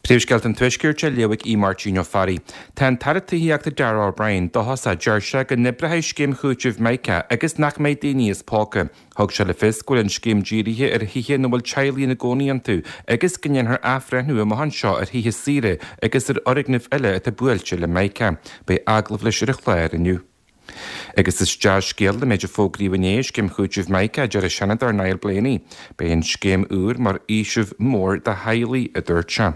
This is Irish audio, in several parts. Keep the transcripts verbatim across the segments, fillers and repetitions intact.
Príomhscéalta an Tuaiscirt á léamh ag Máirtín Ó Fearraigh. Tá an tAire Tithíochta Darragh O'Brien dóchasach deir sé go n-oibreoidh scéim chúitimh Mica agus nach mbeidh daoine as póca. Thug sé le fios go bhfuil an scéim dírithe ar thithe ina bhfuil teaghlaigh ina gcónaí iontu agus go ndéanfar athbhreithniú amach anseo ar thithe saoire agus ar fhoirgnimh eile atá buailte le Mica. Beidh agallamh leis ar an chlár inniu. Agus is dea-scéal an méid a fógraíodh inné scéim chúitimh Mica deir an Seanadóir Niall Blaney. Beidh an scéim úr mar fhaoiseamh mór do theaghlaigh a dúirt sé.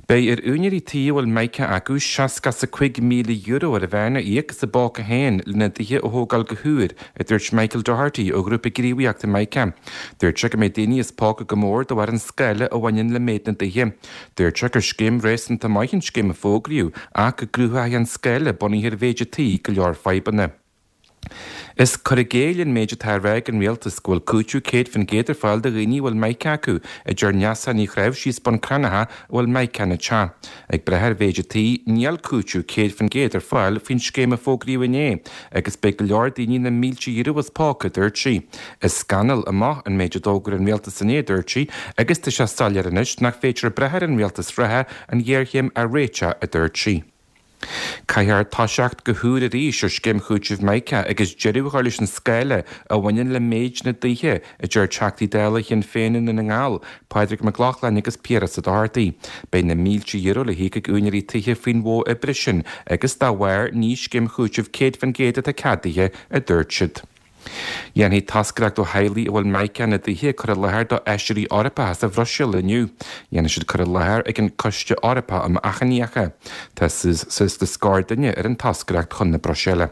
Beidh ar úinéirí tí a bhfuil Mica acu seasca is a cúig míle euro ar a mheán a íoc as a bpóca féin lena dtithe a thógáil go húr, a dúirt Michael Doherty ó ghrúpa gníomhaíochta Mica. Dúirt sé go mbeidh daoine as póca go mór de bharr an scála a bhaineann le méid na dtithe. Dúirt sé gur scéim réasúnta maith an scéim a fógraíodh ach go gcruthóidh an scála bunaithe ar mhéid an tí go leor fadhbanna. Is cur i gcéill an méid atá á rá ag an rialtas go bhfuil cúiteamh céad faoin gcéad ar fáil do dhaoine a bhfuil Mica acu, a deir Neasa Ní Chráimhsí as Bun Cranncha a bhfuil Mica ina teach. Ag brath ar mhéid an tí, níl cúiteamh céad faoin gcéad ar fáil faoin scéim a fógraíodh inné, agus beidh go leor daoine na mílte euro as póca, a dúirt sí. Is scannal amach an méid a d'fhógair an rialtas inné, a dúirt sí, agus tá sé soiléir anois nach féidir brath ar an rialtas reatha an ghéarchéim a réiteach, a dúirt sí. Caithfear toiseacht go húr arís ar scéim chúitimh Mica agus deireadh a chur leis an scála a bhaineann le méid na dtithe, a deir Teachtaí Dála Shinn Féin i nDún na nGall, Pádraig Mac Lochlainn agus Piaras Ó Dochartaigh. Beidh na mílte euro le híoc ag úinéirí tithe faoin mhodh oibre sin agus dá bharr ní scéim chúitimh céad faoin gcéad atá ceadaithe, a dúirt siad. Dhéanfaidh toscaireacht ó theaghlaigh a bhfuil Mica ina dtithe cur i láthair do fheisirí Eorpacha sa Bhruiséil inniu. Dhéanfaidh siad cur i láthair ag an Coiste Eorpach um Achainíocha. Tá suas le scór duine ar an toscaireacht chun na Bruiséile.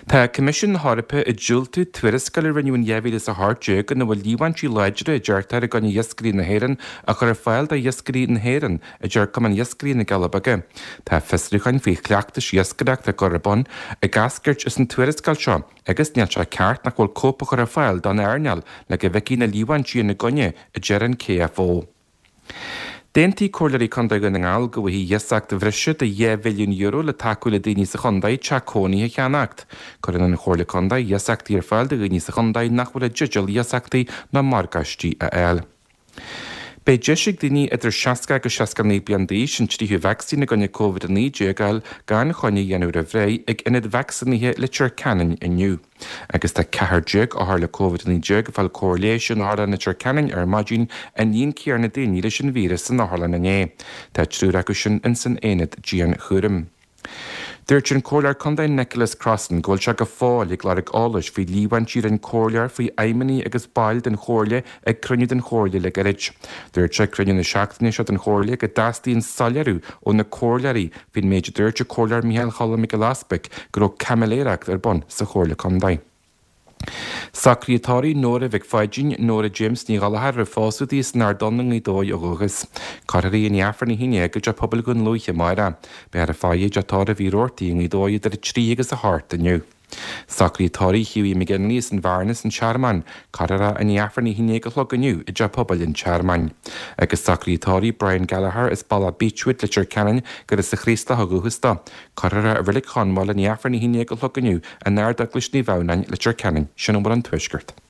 Tá Coimisiún na hEorpa ag diúltú tuarascáil a rinneadh in dhá mhíle is a hocht déag ina bhfuil líomhaintí láidre a deirtear i gcoinne iascairí na hÉireann a chur ar fáil do iascairí na hÉireann, a deir Cumann Iascairí na gCealla Beaga. Tá fiosrúcháin faoi chleachtais iascaireachta á gcur ar bun ag eascairt as an tuarascáil seo agus níl sé ceart nach bhfuil cóip á chur ar fáil don earnáil le go bhfeicfí na líomhaintí ina gcoinne, a deir an KFO. D'aontaigh Comhairleoirí Contae Dhún na nGall go bhfaighidh iasacht bhreise de dhá mhilliún euro le tacú le daoine sa chontae teach cónaithe a cheannacht. Cuireann an Chomhairle Contae iasachtaí ar fáil do dhaoine sa chontae nach bhfuil i dteideal iasachtaí ná morgáistí a fháil. Beidh deis ag daoine idir seasca agus seasca naoi bliain d'aois an tríú vacsaín i gcoinne Covid a naoi déag a fháil gan choinne a dhéanamh roimh ré ag ionad vacsaínithe Leitir Ceanainn inniu. Agus tá ceathair déag othar le Covid a naoi déag ag fáil cóir leighis in Otharlann Leitir Ceanainn ar maidin, an líon céanna daoine leis an víreas san otharlann inné. Tá triúr acu sin ins an aonad dianchúraim. Dúirt an Comhairleoir Contae Nicholas Crossan go bhfuil sé go fóill ag lorg eolais faoi líomhaintí a rinne comhairleoir faoi fheidhmeannaigh agus baill den Chomhairle ag cruinniú den Chomhairle le gairid. Dúirt sé ag cruinniú na seachtaine seo den Chomhairle go dteastaíonn soiléiriú ó na comhairleoirí faoin méid a dúirt an Comhairleoir Micheál Choilm Mac Giolla Easpaig go raibh caimiléireacht ar bun sa Chomhairle Contae. Socruithe tórraimh Nóra Mhic Pháidín, Nóra James Ní Ghallchóir roimh phósadh di as an Ard Donn i nGaoth Dobhair ó dhúchas. Cuirfear í i Aifreann a haon déag i dTeach Pobail Dhún Lúiche amárach. Beifear ag faire i dTeach Tórraimh Uí Robhartaigh i nGaoth Dobhair idir a trí agus a hocht inniu. Socruithe tórraimh Hughie McGinley as an Bhearnas, an Tearmann. Cuirfear é i Aifreann a haon déag a chlog inniu i dTeach Pobail an Tearmainn. Agus socruithe tórraimh Brian Gallagher as Bealach Beechwood, Leitir Ceanainn, gur as an Chraoslach ó dhúchas dó. Cuirfear é i Reilig Chonmhail i Aifreann a haon déag a chlog inniu in Ard-Eaglais Naomh Adhamhnáin, Leitir Ceanainn. Sin a bhfuil ón Tuaisceart.